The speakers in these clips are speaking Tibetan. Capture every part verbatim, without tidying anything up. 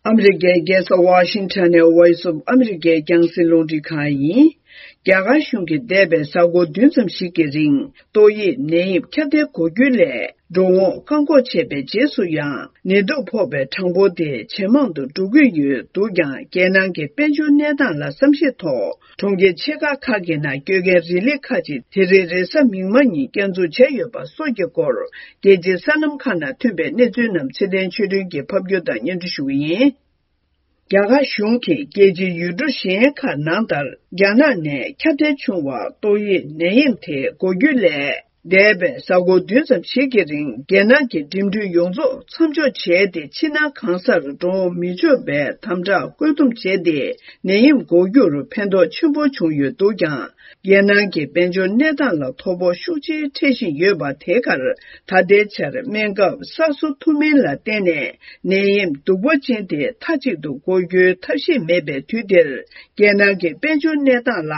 ཨ་མི་རི་ཀའི་རྒྱལ་ས་ཝ་ཤིང་ཊོན་ནས་Voice of America་རྒྱང་སྲིང་རླུང་འཕྲིན་ཁང་ཡིན། རྒྱ་གར་གཞུང་གིས་འདས་པའི་གཟའ་འཁོར་བདུན་ཙམ་ཞིག་གི་རིང་ཏོག་དབྱིབས་ནད་ཡམས་ཁྱབ་གདལ་འགོ་འཁྱུད་སླད་འགྲོ་འོང་བཀག་འགོག་བྱས་པའི་རྗེས་སུ་ཡང་ནད་དུག་ཕོག་པའི་གྲངས་འབོར་དེ་ཇེ་མང་དུ་འགྲོ་གི་ཡོད་འདུག་ཀྱང་། རྒྱལ་ནང་གི་དཔལ་འབྱོར་གནས་སྟངས་ལ་བསམ་ཤེས་ཐོག་གྲོང་ཁྱེར་ཆེ་ཁག་ཁག་གི་ནང་སྐྱོད་མཁན་རི་ལི་ཁག་ཅིག་དེ་རིང་རེས་གཟའ་མིག་དམར་ཉིན་བསྐྱར་འཛུགས་བྱས་ཡོད་པ་སོགས་ཀྱི་སྐོར། རྒྱལ་སྤྱིའི་གསར་ལམ་ཁག་ནང་ཐོན་པའི་གནས་ཚུལ་རྣམས་ཚེ་བརྟན་ཆོས་སྒྲོན་གྱིས་ཕབ་སྒྱུར་དང་སྙན་སྒྲོན་ཞུ་གི་ཡིན། རྒྱ་གར་གཞུང་གིས་རྒྱལ་སྤྱིའི་ཡུལ་གྲུ་གཞན་ཁག་ནང་ལྟར་རྒྱ་ནག་ནས་ཁྱབ་གདལ་བྱུང་བ་ཏོག་དབྱིབས་ནད་ཡམས་དེ་འགོ་འཁྱུད་སླད། འདས་པའི་གཟའ་འཁོར་བདུན་ཙམ་ཞིག་གི་རིང་རྒྱལ་ནང་གི་འགྲིམ་འགྲུལ་ཡོངས་རྫོགས་མཚམས་འཇོག་བྱས་ཏེ། ཕྱི་ནང་གང་སར་འགྲོ་འོང་མི་ཆོག་པའི་དམ་དྲག་བཀོད་འདོམས་བྱས་ཏེ། ནད་ཡམས་འགོག་རྒྱུར་ཕན་ཐོགས་ཆེན་པོ་བྱུང་ཡོད་འདུག་ཀྱང་། རྒྱལ་ནང་གི་དཔལ་འབྱོར་གནས་སྟངས་ལ་དོ་ཕོག་ཤུགས་ཆེ་འཕྲད་བཞིན་ཡོད་པ་དེ་གར་ད་ལྟའི་ཆར་སྨན་ཁབ་གསར་བཟོ་ཐུབ་མིན་ལ་བརྟེན་ནས་ནད་ཡམས་གདུག་པ་ཅན་དེ་མཐའ་གཅིག་ཏུ་འགོག་རྒྱུའི་ཐབས་ཤེས་མེད་པའི་དུས་འདིར། རྒྱལ་ནང་གི་དཔལ་འབྱོར་གནས་སྟངས་ལ་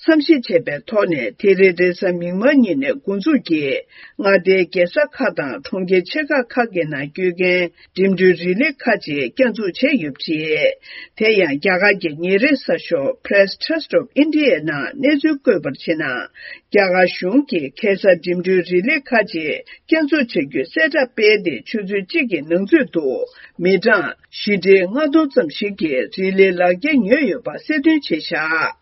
བསམ་གཞིག་བྱས་པའི་ཐོག་ནས། དེ་རིང་རེས་གཟའ་མིག་དམར་ཉིན་ནས་འགོ་འཛུགས་ཀྱིས་མངའ་སྡེའི་རྒྱལ་ས་ཁག་དང་གྲོང་ཁྱེར་ཆེ་ཁག་ཁག་གི་ནང་སྐྱོད་མཁན་འགྲིམ་འགྲུལ་རི་ལི་ཁག་ཅིག་བསྐྱར་འཛུགས་བྱས་ཡོད་པ་རེད། དེ་ཡང་རྒྱ་གར་གྱི་ཉིན་རེའི་གསར་ཤོག་Press Trust of India ནང་གནས་ཚུལ་བཀོད་པར་བྱས་ན། རྒྱ་གར་གཞུང་གིས་ཁ་སང་འགྲིམ་འགྲུལ་རི་ལི་ཁག་ཅིག་བསྐྱར་འཛུགས་བྱ་རྒྱུའི་གསལ་བསྒྲགས་སྤེལ་ཏེ། ཆུ་ཚོད་གཅིག་གི་ནང་ཚུད་དུ་མི་གྲངས་བཞི་ཁྲི་ལྔ་སྟོང་ཙམ་ཞིག་གིས་རི་ལིའི་ལག་འཁྱེར་ཉོས་ཡོད་པ་གསལ་སྟོན་བྱས་བཞག་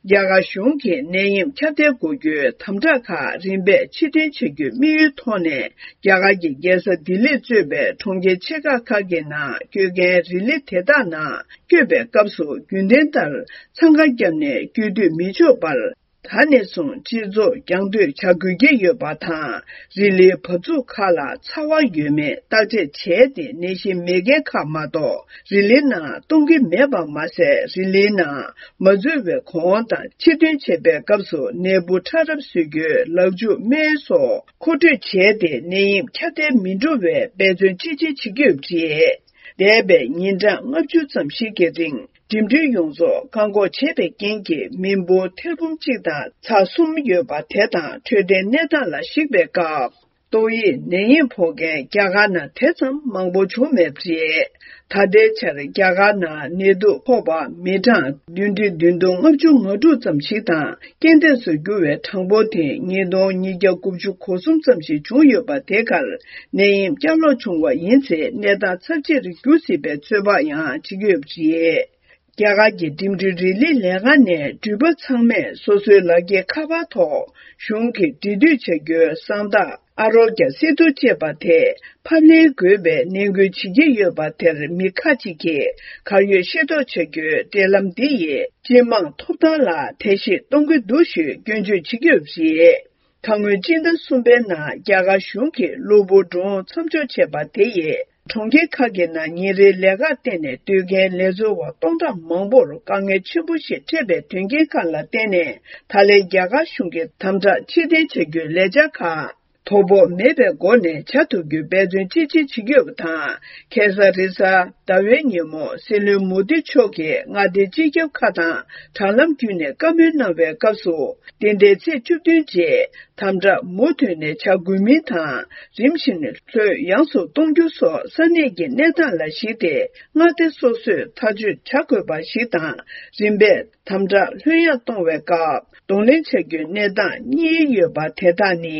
རྒྱ་གར་གཞུང་གིས་ནད་ཡམས་ཁྱབ་གདལ་འགོག་རྒྱུའི་དམ་དྲག་ཁག་རིམ་པས་ཕྱིར་འཐེན་བྱ་རྒྱུའི་དམིགས་ཡུལ་ཐོག་ནས། རྒྱ་གར་གྱི་རྒྱལ་ས་ལྡི་ལིས་གཙོས་པའི་གྲོང་ཁྱེར་ཆེ་ཁག་ཁག་གི་ནང་སྐྱོད་མཁན་རི་ལི་དེ་དག་ནང་སྐྱོད་པའི་སྐབས་སུ་རྒྱུན་ལྡན་ལྟར་འཚང་ཁ་བརྒྱབ་ནས་སྐྱོད་སྡོད་མི་ཆོག་པར། ད་ནས་བཟུང་སྤྱི་ཚོགས་རྒྱང་སྡོད་བྱ་དགོས་ཀྱི་ཡོད་པ་དང་། རི་ལིའི་བབས་ཚུགས་ཁག་ལ་ཚ་བ་ཡོད་མེད་བརྟག་དཔྱད་བྱས་ཏེ། ནད་གཞི་མེད་མཁན་ཁག་མ་གཏོགས་རི་ལིའི་ནང་གཏོང་གི་མེད་པ་མ་ཟད། རི་ལིའི་ནང་མ་འཛུལ་བའི་གོང་དང་ཕྱིར་ཐོན་བྱེད་པའི་སྐབས་སུ་ནད་འབུ་ཕྲ་རབ་བཟོ་རྒྱུའི་ལག་འཇུ་སྨན་སོགས་མཁོ་སྤྲོད་བྱས་ཏེ། ནད་ཡམས་ཁྱབ་གདལ་མི་འགྲོ་བའི་འབད་བརྩོན་ཅི་ཆེ་བྱེད་ཀྱི་ཡོད་པ་རེད། འདས་པའི་ཉིན་གྲངས་ལྔ་བཅུ་ཙམ་ཞིག་གི་རིང་འགྲིམ་འགྲུལ་ཡོངས་རྫོགས་བཀག་འགོག་བྱས་པའི་རྐྱེན་གྱིས། མི་འབོར་ཐེར་འབུམ་གཅིག་དང་ཚེག་གསུམ་ཡོད་པ་དེ་དང་འཕྲོད་བསྟེན་གནས་སྟངས་ལ་གཞིགས་པའི་སྐབས། ཏོག་དབྱིབས་ནད་ཡམས་ཕོག་མཁན་རྒྱ་གར་ནང་དེ་ཙམ་མང་པོ་བྱུང་མེད་པ་རེད། ད་ལྟའི་ཆར་རྒྱ་གར་ནང་ནད་དུག་ཕོག་པ་མི་གྲངས་བདུན་ཁྲི་བདུན་སྟོང་ལྔ་བཅུ་ང་དྲུག་ཙམ་ཞིག་དང་། རྐྱེན་འདས་སུ་གྱུར་བའི་གྲངས་འབོར་དེ་ཉིས་སྟོང་ཉིས་བརྒྱ་དགུ་བཅུ་གོ་གསུམ་ཙམ་ཞིག་བྱུང་ཡོད་པ་དེ་གར་ནད་ཡམས་བསྐྱར་ལོག་བྱུང་བ་ཡིན་ཚེ། གནས་སྟངས་ཚབས་ཆེ་རུ་འགྱུར་སྲིད་པའི་ཚོད་དཔག་ཡང་བྱེད་ཀྱི་ཡོད་པ་རེད། རྒྱ་གར་གྱི་འགྲིམ་འགྲུལ་རི་ལིའི་ལས་ཁང་ནས་འགྲུལ་པ་ཚང་མས་སོ་སོའི་ལག་འཁྱེར་ཁ་པར་ཐོག་གཞུང་གིས་འབྲེལ་མཐུད་བྱ་རྒྱུའི་གསང་རྟགས་ཨ་རོ་གྱ་སེ་ཏུ་ཅེས་པ་དེ་ཕབ་ལེན་དགོས་པའི་ནན་སྐུལ་བྱེད་ཀྱི་ཡོད་པ་དེར། མི་ཁག་ཅིག་གིས་གར་ཡོད་ཤེས་རྟོགས་བྱ་རྒྱུའི་འབྲེལ་ལམ་འདི་ཡིས་སྤྱི་དམངས་ཐོབ་ཐང་ལ་ཐེ་གཞེས་གཏོང་གི་འདུག་ཞེས་སྐྱོན་བརྗོད་བྱེད་ཀྱི་ཡོད་པ་རེད། ད་སྔོན་སྤྱི་ཟླ་གསུམ་པའི་ནང་རྒྱ་གར་གཞུང་གིས་གློ་བུར་འགྲོ་འོང་མཚམས་འཇོག་བྱས་པ་དེ་ཡིས། གྲོང་ཁྱེར་ཁག་གི་ནང་ཉིན་རེའི་ལས་ཀར་བརྟེན་ནས་སྡོད་མཁན་ལས་བཟོ་བ་སྟོང་ཕྲག་མང་པོར་དཀའ་ངལ་ཆེན་པོ་ཞིག་འཕྲད་པའི་དོན་རྐྱེན་ཁག་ལ་བརྟེན་ནས། ད་ལན་རྒྱ་གར་གཞུང་གིས་དམ་དྲག་ཕྱིར་འཐེན་བྱ་རྒྱུའི་ལས་འཆར་ཁག་དོ་ཕོག་མེད་པའི་སྒོ་ནས་བྱ་ཐུབ་རྒྱུའི་འབད་བརྩོན་ཅི་ཆེ་བྱེད་ཀྱི་ཡོད་པ་དང་། ཁ་སང་རེས་གཟའ་ཟླ་བའི་ཉིན་མོ་སྲིད་བློན་མོ་དི་མཆོག་གིས་མངའ་སྡེའི་སྤྱི་ཁྱབ་ཁག་དང་དྲ་ལམ་བརྒྱུད་ནས་བཀའ་མོལ་གནང་བའི་སྐབས་སུ། འདི་ཟླའི་ཚེས་བཅུ་བདུན་རྗེས་དམ་དྲག་མུ་མཐུད་ནས་བྱ་དགོས་མིན་དང་། རིམ་བཞིན་ལྷོད་ཡངས་སུ་གཏོང་རྒྱུ་སོགས་ས་གནས་ཀྱི་གནས་སྟངས་ལ་གཞིགས་ཏེ། མངའ་སྡེ་སོ་སོས་ཐག་གཅོད་བྱ་དགོས་པ་ཞིག་དང་། རིམ་པས་དམ་དྲག་ལྷོད་ཡངས་གཏོང་བའི་སྐབས་གདོང་ལེན་བྱ་རྒྱུའི་གནས་སྟངས་གཉིས་ཡོད་པ་དེ་དག་ནི།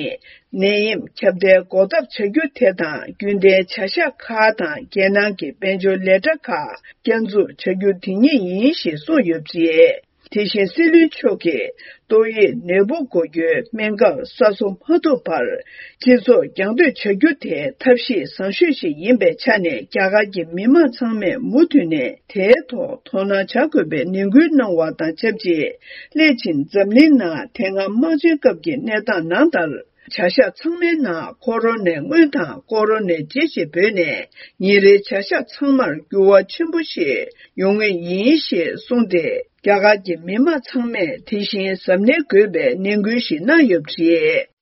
ནད་ཡམས་ཁྱབ་གདལ་འགོག་ཐབས་བྱ་རྒྱུ་དེ་དང་། རྒྱུན་ལྡན་བྱ་གཞག་ཁག་དང་རྒྱལ་ནང་གི་དཔལ་འབྱོར་ལས་གྲྭ་ཁག་བསྐྱར་འཛུགས་བྱ་རྒྱུ་དེ་ཉིད་ཡིན་ཞེས་གསུངས་ཡོད་པ་རེད། དེ་བཞིན་སྲིད་བློན་མཆོག་གིས་ཏོག་དབྱིབས་ནད་འབུ་འགོག་རྒྱུའི་སྨན་ཁབ་གསར་བཟོ་མ་ཐུབ་བར། སྤྱི་ཚོགས་རྒྱང་སྡོད་བྱ་རྒྱུ་དེ་ཐབས་ཤེས་བཟང་ཤོས་ཤིག་ཡིན་པའི་ཆ་ནས། རྒྱ་གར་གྱི་མི་མང་ཚང་མས་མུ་མཐུད་ནས་དེའི་ཐོག་དོ་སྣང་བྱ་དགོས་པའི་ནན་སྐུལ་གནང་བ་དང་ཆབས་ཅིག་སླད་ཕྱིན་འཛམ་གླིང་ནང་དེ་སྔ་དམག་ཆེན་སྐབས་ཀྱི་གནས་སྟངས་ནང་ལྟར། བྱ་གཞག་ཚང་མའི་ནང་ཁོ་རོ་ནའི་སྔོན་དང་ཁོ་རོ་ནའི་རྗེས་ཞེས་འབོད་ནས། ཉིན་རེའི་བྱ་གཞག་ཚང་མར་འགྱུར་བ་ཆེན་པོ་ཞིག་ཡོང་ངེས་ཡིན་ཞེས་གསུངས་ཏེ། རྒྱ་གར་གྱི་མི་མང་ཚང་མས་དེ་བཞིན་གཟབ་ནན་དགོས་པའི་ནན་སྐུལ་ཞིག་གནང་ཡོད་པ་རེད།